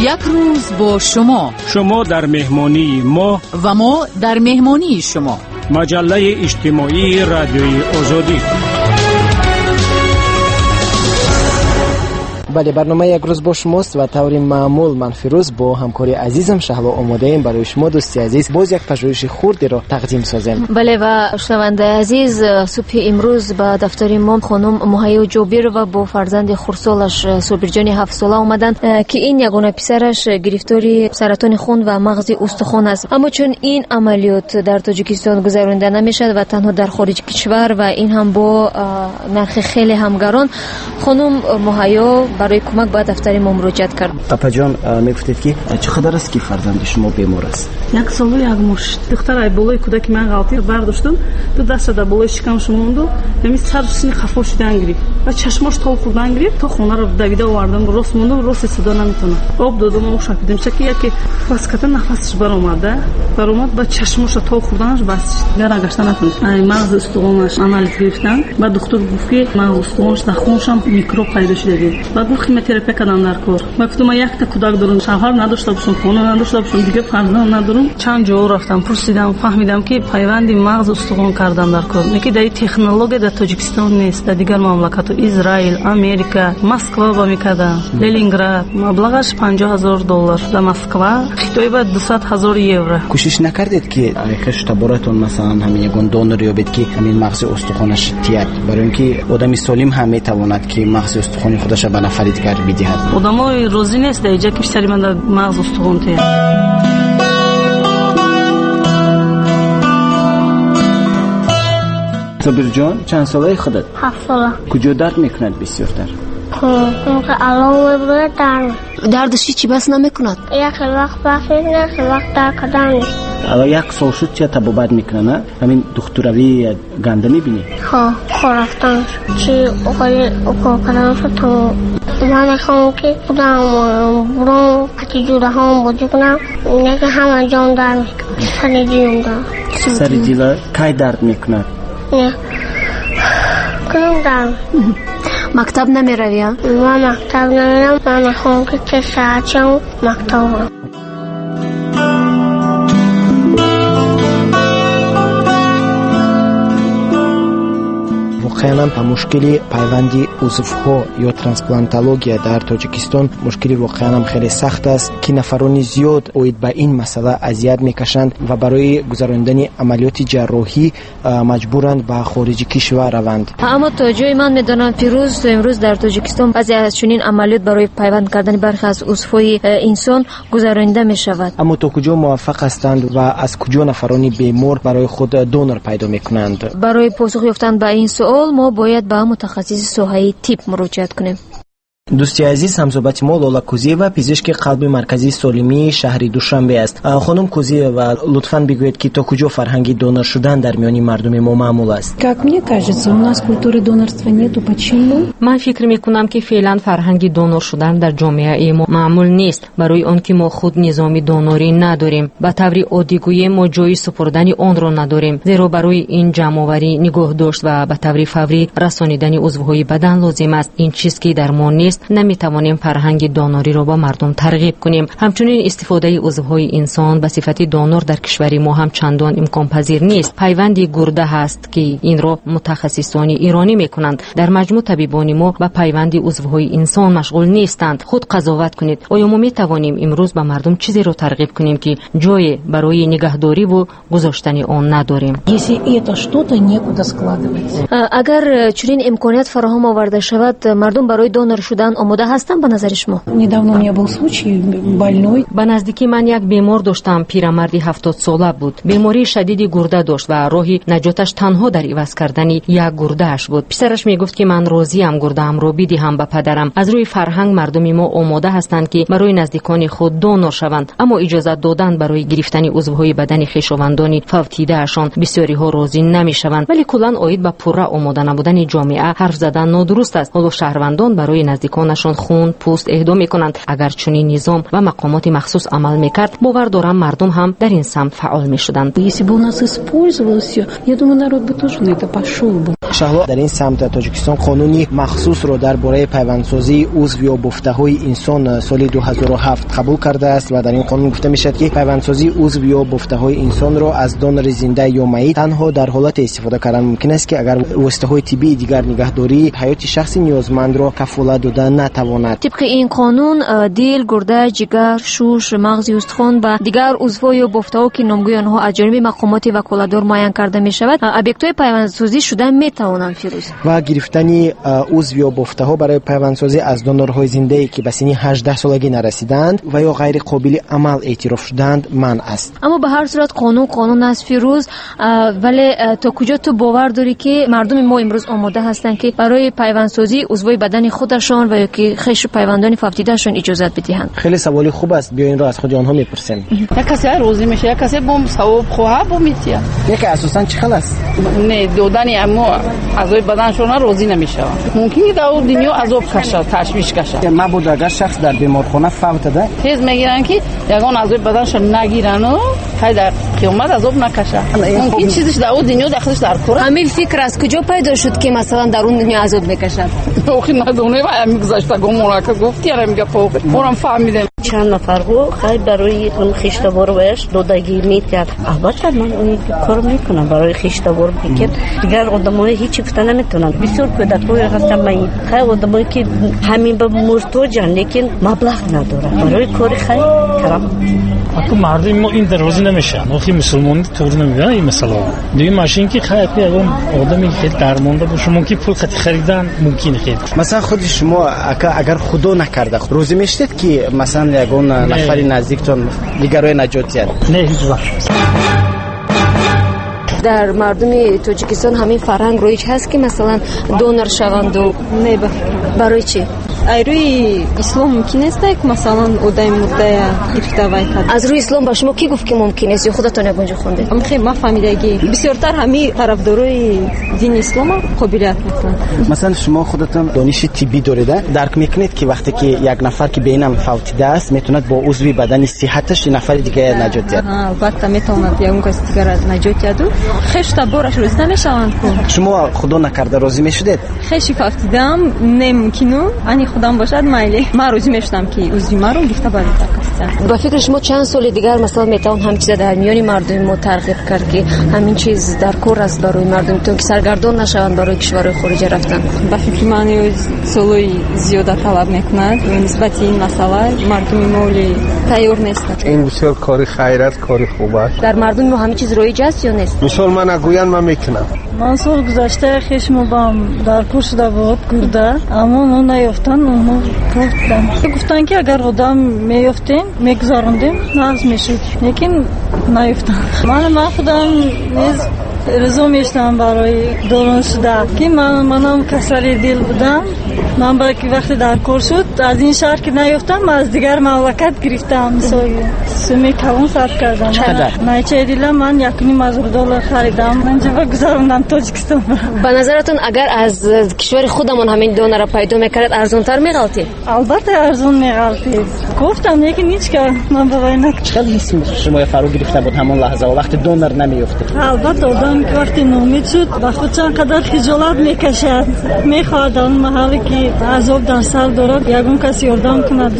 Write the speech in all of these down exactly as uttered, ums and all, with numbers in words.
Як рӯз бо шумо. Шумо дар меҳмонии мо ва мо дар меҳмонии шумо. Маҷаллаи иҷтимоии Радиои Озодӣ. Бале, барнома як рӯз бо шумост ва таври маъмул ман Фирӯз бо ҳамкори азизам Шаҳло омодаем барои шумо дӯсти азиз боз як пажӯҳиши хурдеро тақдим созем. Бале, ва шунавандаи азиз, субҳи имрӯз ба дафтари мо хонум Муҳайё Ҷобирова бо фарзанди хурдсолаш Собирҷони ҳафтсола омаданд, ки ин ягона писараш гирифтори саратони хун ва мағзи устухон аст. Аммо чун ин амалиёт дар Тоҷикистон гузаронида намешавад ва танҳо дар хориҷи кишвар ва ин ҳам бо нархи хеле ҳам гарон, хонум Муҳайё барои кӯмак ба дафтари мо муроҷиат кард. Апаҷон, мегуфтед ки чӣ қадар аст ки фарзанди шумо бемор аст? Як солу як моҳ. Духтарай болои кӯдаки ман ғалтир бардоштум, ду даста дар болои шикамаш монду, ҳамин сараш сини хафо шудан гирифт ва чашмош тол хӯрдан гирифт, то хонаро давида овардам, рост мондум, рост истода наметавонам. Об додам, об шапидам, чаки яке фаската нафасаш баромад, баромад, ба чашмоша тол хӯрданаш бас шуд. Гара гашта натавонист. Ай мағзи устухонаш анализ гирифтан, ба духтур гуфт ки мағзи устухонаш дар хуншам микроб пайдо шуда. Баъд гуфт химиотерапия кардам дар кор. Ман гуфтам ман якта кӯдак дорам, шавҳар надошта бошам, хона надошта бошам, дигар фарзанд надорам. Чанд ҷо рафтам, пурсидам, фаҳмидам ки пайванди мағз устухон кардам дар кор. Неки дар ин технология дар Тоҷикистон нест, дар дигар мамлакатҳо, Израил, Америка, Москва ба мекардам, Ленинград. Маблағаш панҷоҳ ҳазор доллар дар Москва, Хитой ба дусад ҳазор евро. Кӯшиш накардед ки хешу таборатон масалан ҳамин ягон донор ёбед ки ҳамин мағзи устухонаш тияд, барои ин ки одами солим ҳам метавонад ки мағзи устухони худашро ба нафари дигар бидиҳад. Одамои розӣ нест дар иҷа ки писари ман дар мағз устухон тияд. Собирҷон, чанд солаи худат? Ҳафт сола. Куҷо дард мекунад бисёртар? Алло, дард. Дардаш чӣ бас намекунад? Як вақт бас мекунад, як вақт дард кардан нест. Ала як сол шуд чия табобат мекунад, ҳамин духтуравӣ ганда мебинӣ? Ҳо, хор рафтан чи оқои укол кардан шуд то ман мехоҳам ки худам буром қати ҷураҳом бозӣ кунам, неки ҳама ҷом дард мекунад, сари дилам дард. Сари дила кай дард мекунад? Не, кунам дард. Мактаб намеравӣ, а? Ман мактаб намерам, ман мехоҳам ки се соат шавам мактаб равам. Воқеан ҳам мушкили пайванди узвҳо ё трансплантология дар Тоҷикистон мушкили воқеан ҳам хеле сахт аст, ки нафарони зиёд оид ба ин масъала азият мекашанд ва барои гузаронидани амалиёти ҷарроҳӣ маҷбуранд ба хориҷи кишвар раванд. Аммо то ҷое ман медонам, Фирӯз, то имрӯз дар Тоҷикистон баъзе аз чунин амалиёт барои пайванд кардани бархе аз узвҳои инсон гузаронида мешавад. Аммо то куҷо муваффақ ҳастанд ва аз куҷо нафарони бемор барои худ донор пайдо мекунанд? Барои посух ёфтан ба ин суол мо бояд ба мутахассиси соҳаи тиб муроҷиат кунем. Дӯсти азиз, ҳамсӯҳбати мо Лола Кузиева, пизишки қалби марказии солимии шаҳри Душанбе аст. Хонум Кузиева, лутфан бигӯед ки то куҷо фарҳанги донор шудан дар миёни мардуми мо маъмул аст? Как мне кажется, у нас культуры донорства нету. Почему? Ман фикр мекунам ки феълан фарҳанги донор шудан дар ҷомеаи мо маъмул нест, барои он ки мо худ низоми донорӣ надорем. Ба таври оддӣ гӯем, мо ҷои супурдани онро надорем, зеро барои ин ҷамъоварӣ, нигоҳдошт ва ба таври фаврӣ расонидани узвҳои бадан лозим аст. Ин чиз ки дар мо нест, наметавонем фарҳанги донориро ба мардум тарғиб кунем. Ҳамчунин истифодаи узвҳои инсон ба сифати донор дар кишвари мо ҳам чандон имконпазир нест. Пайванди гурда ҳаст ки инро мутахассисони иронӣ мекунанд. Дар маҷмӯъ табибони мо ба пайванди узвҳои инсон машғул нестанд. Худ қазоват кунед, оё мо метавонем имрӯз ба мардум чизеро тарғиб кунем ки ҷое барои нигаҳдориву гузоштани он надорем? Если это что-то некуда складывать. Агар чунин имконият фароҳам оварда шавад, мардум барои донор шудан омода ҳастанд ба назари шумо? Недавно у меня был случай больной. Ба наздикӣ ман як бемор доштам, пирамарди ҳафтодсола буд. Бемории шадиди гурда дошт ва роҳи наҷоташ танҳо дар иваз кардани як гурдааш буд. Писараш мегуфт ки ман розиям гурдаамро бидиҳам ба падарам. Аз рӯи фарҳанг мардуми мо омода ҳастанд ки барои наздикони худ донор шаванд, аммо иҷозат додан барои гирифтани узвҳои бадани хешовандони фавтидаашон бисёриҳо розӣ намешаванд. Вале куллан оид ба пурра омода набудани ҷомеа ҳарф задан нодуруст аст. Ҳоло шаҳрвандон барои наздикони наздиконашон хун, пӯст эҳдо мекунанд. Агар чунин низом ва мақомоти махсус амал мекард, бовар дорам мардум ҳам дар ин самт фаъол мешуданд. Если бы у нас использовалось все, я думаю, народ бы тоже на это пошел бы. Шаҳло, дар ин самт Тоҷикистон қонуни махсусро дар бораи пайвандсозии узв ё бофтаҳои инсон соли ду ҳазору ҳафт қабул кардааст ва дар ин қонун гуфта мешавад, ки пайвандсозии узв ё бофтаҳои инсонро аз донори зинда ё майит танҳо дар ҳолате истифода кардан мумкин аст, ки агар воситаҳои тиббии дигар нигаҳдории ҳаёти шахси ниёзмандро кафолат дода натавонад. Тибқи ин қонун дил, гурда, ҷигар, шуш, мағзи устухон ва дигар узвҳо ё бофтаҳо, ки номгӯи онҳо аз ҷониби мақомоти ваколатдор муайян карда мешавад, объектҳои пайвандсозӣ шуда метавонанд. Фирӯз, ва гирифтани узв ё бофтаҳо барои пайвандсозӣ аз донорҳои зиндае, ки ба синни ҳаждаҳ солагӣ нарасидаанд ва ё ғайриқобили амал эътироф шудаанд, манъ аст. Аммо ба ҳар сурат қонун қонун аст, Фирӯз. Вале то куҷо ту бовар дорӣ, ки мардуми мо имрӯз омода ҳастанд, ки барои пайвандсозии узвҳои бадани худашон ва ё ки хешу пайвандони фавтидаашон иҷозат бидиҳанд? Хеле саволи хуб аст. Биё инро аз худи онҳо мепурсем. Як касе розӣ мешавад, як касе бо савоб хоҳад бо метия. Яке асосан чӣ хел аст? Не, додани амо аъзои баданшон розӣ намешаванд. Мумкин ки дар дунё азоб кашад, ташвиш кашад. Мабодо агар шахс дар беморхона фавтада, тез мегиранд, ки ягон аъзои баданшон нагирану хай дар қиёмат азоб накашад. Мумкин чизиш дар он дунё дахлиш дар кор. Ҳамин фикр аз куҷо пайдо шуд, ки масалан дар он дунё азоб мекашад? Охи надонем, ҳамин гузаштагонмон ака гуфт, яра мега фоқи. Морам фаҳмидем. Чанд нафарҳо хай барои хештаборваяш додагӣ метиҳад. Албатта ман он кор мекунам барои хештабор, лекин дигар одамои ҳеҷ гуфта наметавонанд. Бисёр кӯдакҳое ҳастанд, майит, хай одамое ки ҳамин ба муҳтоҷанд, лекин маблағ надоранд барои кори хай карам. Аку мардуми мо ин дар розӣ намешаванд. Охи мусулмонӣ туғри намебинанд ин масъалаҳо. Дуюм аш ин ки хай аку ягон одаме хеле дармонда боша, мумкин пул қати харидан мумкин хеле. Масалан худи шумо ака, агар худо накарда розӣ мешудед, ки масалан ягон нафари наздиктон дигарое наҷот диҳад? Не, ҳеҷ вақт. Дар мардуми Тоҷикистон ҳамин фарҳанг роиҷ ҳаст, ки масалан донор шаванду? Не, ба фикрам. Барои чӣ? Аз рӯи ислом мумкин нест, ки масалан одами мурдая гирифта вай кард. Аз рӯи ислом ба шумо кӣ гуфт, ки мумкин нест, ё худатон ягон ҷо хондед? Хе, ман фаҳмидагӣ. Бисёртар ҳамин тарафдорои дини ислома қобилият мекунанд. Масалан шумо худатон дониши тиббӣ доред, дарк мекунед, ки вақте ки як нафар ки беинам фавтидааст, метавонад бо узви бадани сиҳаташ нафари дигарро наҷот диҳад? Албатта метавонад ягон каси дигарро наҷот диҳаду хешу табораш розӣ намешаванд ку. Шумо худо накарда розӣ мешудед? Хеши фавтидаам не мумкину, ани худам бошад майли. Ман розӣ мешудам, ки узви маро гирифта ба кас. Ба фикри шумо чанд соли дигар масалан метавон ҳамин чиза дар миёни мардуми мо тарғиб кард, ки ҳамин чиз дар кор аст барои мардум, то ки саргардон нашаванд барои кишварҳои хориҷа рафтан? Ба фикри ман солҳои зиёда талаб мекунад. Нисбати ин масъала мардуми мо тайёр нестанд. Ин бисёр кори хайр аст, кори хуб аст. Дар мардуми мо ҳамин чиз роиҷ аст ё нест? Мисол ман агӯянд, ман мекунам. Ман сол гузашта хешмобам дар кор шуда буд гурда, аммо онҳо наёфтанд, онҳо гуфтанд. Гуфтанд, ки агар одам меёфтем, мегузарондем, нағз мешуд, лекин наёфтанд. Ман ман худам низ розӣ мешудам барои дорон шуда, ки ман манам касали дил будам. Ман ба ки вақте дар кор шуд, аз ин шаҳр ки наёфтам, аз дигар мамлакат гирифтам. Мисол суми калон сарф кардам. Найчаи дилам ман якуним ҳазор доллар харидам. Ман ҷаба гузарондам Тоҷикистон. Ба назаратон агар аз кишвари худамон ҳамин донорро пайдо мекард, арзонтар меғалтид? Албатта арзон меғалтид. Гуфтам, лекин ҳеҷ кас ман ба вай накард. Чӣ қадр ҳис шуморо фаро гирифта буд ҳамон лаҳза, вақте донор намеёфтед? Албатта одам вақте ноумед шуд, ба худ чанд қадар хиҷолат мекашад. Мехоҳад он маҳалле ки азоб дар сар дорад, ягон кас ёрдам кунад.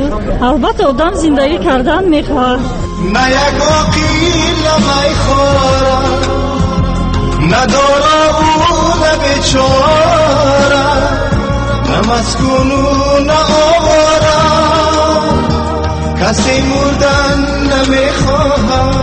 Албатта одам зиндагӣ кардан мехоҳад. На як оқила майхора, на дорову на бечора, на маскуну на овора, касе мурдан намехоҳад.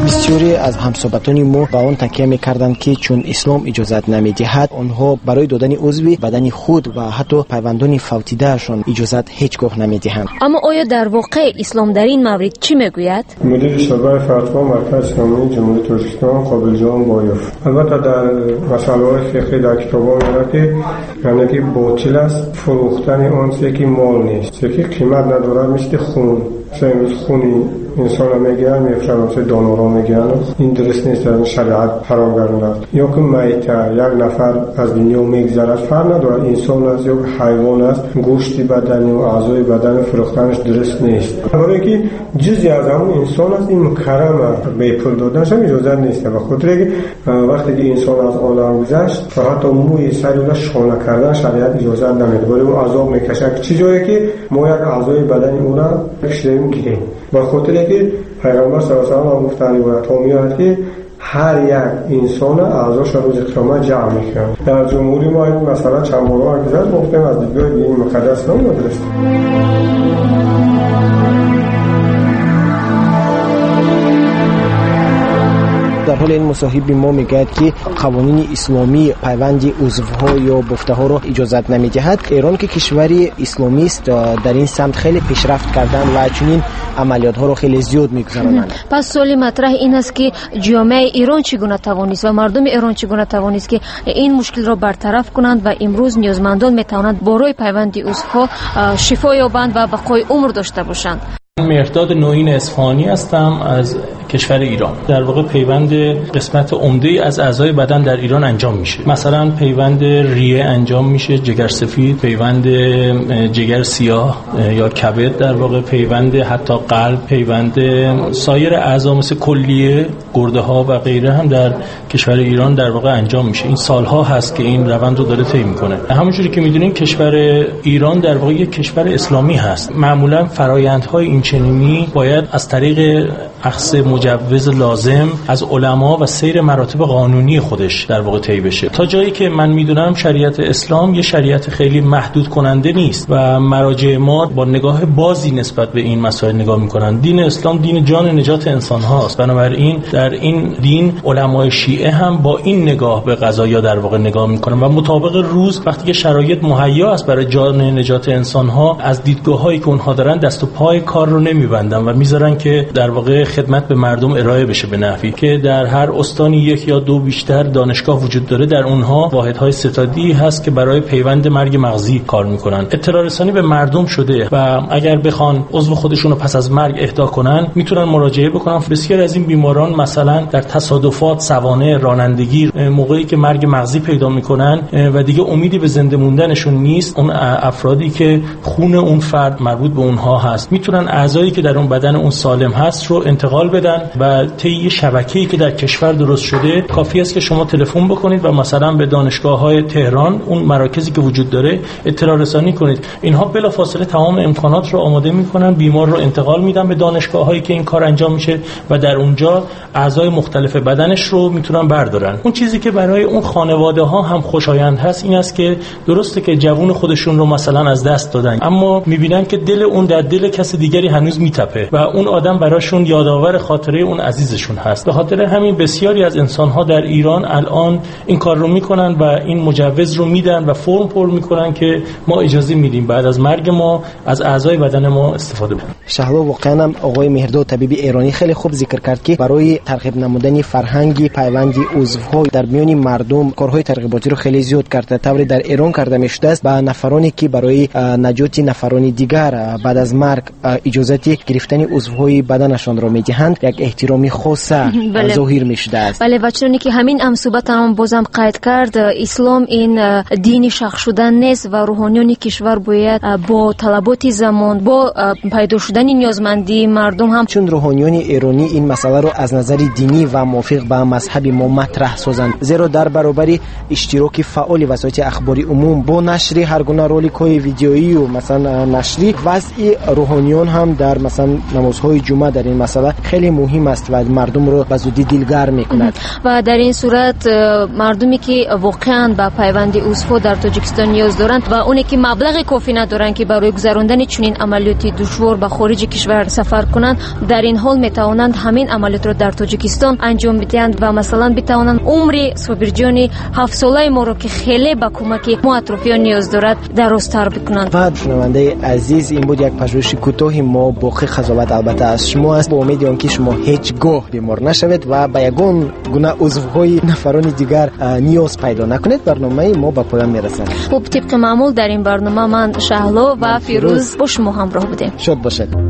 Бисёре аз ҳамсӯҳбатони мо ба он такя мекарданд, ки чун ислом иҷозат намедиҳад, онҳо барои додани узви бадани худ ва ҳатто пайвандони фавтидаашон иҷозат ҳеҷ гоҳ намедиҳанд. Аммо оё дар воқеъ ислом дар ин маврид чӣ мегӯяд? Мудири шӯъбаи фатво Маркази исломии Ҷумҳурии Тоҷикистон Қобилҷон Боев. Албатта дар масъалаҳои фиқҳӣ дар китобҳо меояд, ки яъне ки ботил аст фурӯхтани он чизе ки мол нест, чизе ки қимат надорад, мисли хун. Масалан имрӯз хуни инсонро мегиранд, мефурӯшанд, масалан донорро мегиранд. Ин дуруст нест, дар шариат ҳаром гардидааст. Ё ки майта, як нафар аз дунё мегузарад, фарқ надорад инсон аст ё ҳайвон аст, гӯшти бадани ва аъзои бадани фурӯхтанаш дуруст нест. Барои ки ҷузъе аз ҳамон инсон аст, ин мукаррам аст, бепул доданаш ҳам иҷозат нест. Ба хотире ки вақте ки инсон аз олам гузашт, ҳатто мӯи сари ӯро шона кардан шариат иҷозат намедиҳад. Барои ӯ азоб мекашад. Чӣ ҷое ки мо як аъзои бадани ӯро кашидаем гирем. Ба хотире ки Пайғамбар саллаллоҳу алайҳи ва саллам гуфтанд, ривоятҳо меояд, ки ҳар як инсон аъзояшро рӯзи қиёмат ҷамъ мекунанд. Дар ҷумҳурии мо ин масъала чанд борҳо гузашт, мо гуфтем аз дидгоҳи дини муқаддас ислом нодуруст. Дар ҳоли ин мусоҳиби мо мегӯяд, ки қавонини исломӣ пайванди узвҳо ё бофтаҳоро иҷозат намедиҳад. Эрон ки кишвари исломист, дар ин самт хеле пешрафт карданд ва чунин амалиётҳоро хеле зиёд мегузаронанд. Пас суоли матраҳ ин аст, ки ҷомеаи Эрон чӣ гуна тавонист ва мардуми Эрон чӣ гуна тавонист, ки ин мушкилро бартараф кунанд ва имрӯз ниёзмандон метавонанд барои пайванди узвҳо шифо ёбанд ва бақои умр дошта бошанд. مهرداد نوین اصفهانی هستم از کشور ایران. در واقع پیوند قسمت عمده از اعضای بدن در ایران انجام میشه. مثلا پیوند ریه انجام میشه، جگر سفید، پیوند جگر سیاه یا کبد، در واقع پیوند حتی قلب، پیوند سایر اعضا مثل کلیه، گرده ها و غیره هم در کشور ایران در واقع انجام میشه. این سالها هست که این روند رو داره طی میکنه. همونجوری که میدونین کشور ایران در واقع یک کشور اسلامی هست. معمولا فرآیندهای این چنینی باید از طریق اخذ مجوز لازم از علما و سیر مراتب قانونی خودش در واقع طی بشه. تا جایی که من میدونم شریعت اسلام یه شریعت خیلی محدود کننده نیست و مراجع ما با نگاه بازی نسبت به این مسائل نگاه میکنن. دین اسلام دین جان نجات انسان هاست، بنابراین در این دین علمای شیعه هم با این نگاه به قضایا در واقع نگاه میکنن و مطابق روز وقتی که شرایط مهیا است برای جان نجات انسان ها، از دیدگاه هایی که اونها دارن دست و پای کار رو نمیبندن و میذارن که در واقع خدمت به مردم ارائه بشه به نحوی که در هر استانی یک یا دو بیشتر دانشگاه وجود داره، در اونها واحدهای ستادی هست که برای پیوند مرگ مغزی کار میکنن. اطلاع رسانی به مردم شده و اگر بخوان عضو خودشون رو پس از مرگ اهدا کنن میتونن مراجعه بکنن. بسیاری از این بیماران مثلا در تصادفات، سوانح رانندگی، موقعی که مرگ مغزی پیدا میکنن و دیگه امیدی به زنده موندنشون نیست، اون افرادی که خون اون فرد مربوط به اونها هست میتونن اعضایی که در اون بدن اون سالم هست رو انتقال بدن و طی شبکه‌ای که در کشور درست شده کافی است که شما تلفن بکنید و مثلا به دانشگاه‌های تهران اون مراکزی که وجود داره اطلاع رسانی کنید. اینها بلافاصله تمام امکانات رو آماده میکنن، بیمار رو انتقال میدن به دانشگاه‌هایی که این کار انجام میشه و در اونجا اعضای مختلف بدنش رو میتونن بردارن. اون چیزی که برای اون خانواده‌ها هم خوشایند هست این است که درسته که جوون خودشون رو مثلا از دست دادن، اما میبینن که دل اون در دل کس دیگری هنوز میتپه و اون آدم براشون یادآور خاطره اون عزیزشون هست. به خاطر همین بسیاری از انسان‌ها در ایران الان این کار رو میکنن و این مجوز رو میدن و فرم پر میکنن که ما اجازه میدیم بعد از مرگ ما از اعضای بدن ما استفاده کنیم. شهلا، واقعا هم آقای مهرداد طبیب ایرانی خیلی خوب ذکر کرد که برای ترغیب نمودن فرهنگ پیوند عضوها در میان مردم کارهای ترغیباتی رو خیلی زیاد کرده. طوری در ایران کرده میشده است به نفرانی که برای نجات نفران دیگر بعد از مرگ اجازه گرفتن عضوهای بدنشان را میدهند یک احترام خاص ظاهر میشده است. بله، و چنانی که همین هم صحبت هم بازم قید کرد، اسلام این دین شخص شدن نیست و روحانیون کشور باید با طلبات زمان، با پیدا شدن نیازمندی مردم هم، چون روحانیون ایرانی این مسئله رو از نظر دینی و موافق به مذهب ما مطرح سازند، زیرا در برابر اشتراک فعال وسایل اخباری عموم با نشر هر گونه رولک‌های ویدیویی و مثلا نشری، وضع روحانیون هم در مثلا نمازهای جمعه در این مسئله масъала хеле муҳим аст ва мардумро ба зудӣ дилгарм мекунад. Ва дар ин сурат мардуме ки воқеан ба пайванди узвҳо дар Тоҷикистон ниёз доранд ва оне ки маблағи кофӣ надоранд ки барои гузарондани чунин амалиёти душвор ба хориҷи кишвар сафар кунанд, дар ин ҳол метавонанд ҳамин амалиётро дар Тоҷикистон анҷом бидиҳанд ва масалан битавонанд умри Собирҷони ҳафтсолаи моро ки хеле ба кӯмаки мо атрофиён ниёз дорад дарозтар бикунанд. Ва шунавандаи азиз, ин буд як пажӯҳиши кӯтоҳи мо. Боқӣ қазоват албатта аз шумо аст, бо умеди он ки шумо ҳеҷ гоҳ бемор нашавед ва ба ягон гуна узвҳои нафарони дигар ниёз пайдо накунед. Барномаи мо ба поён мерасад. Хуб, тибқи маъмул дар ин барнома ман Шаҳло ва Фирӯз бо шумо ҳамроҳ будем. Шод бошед.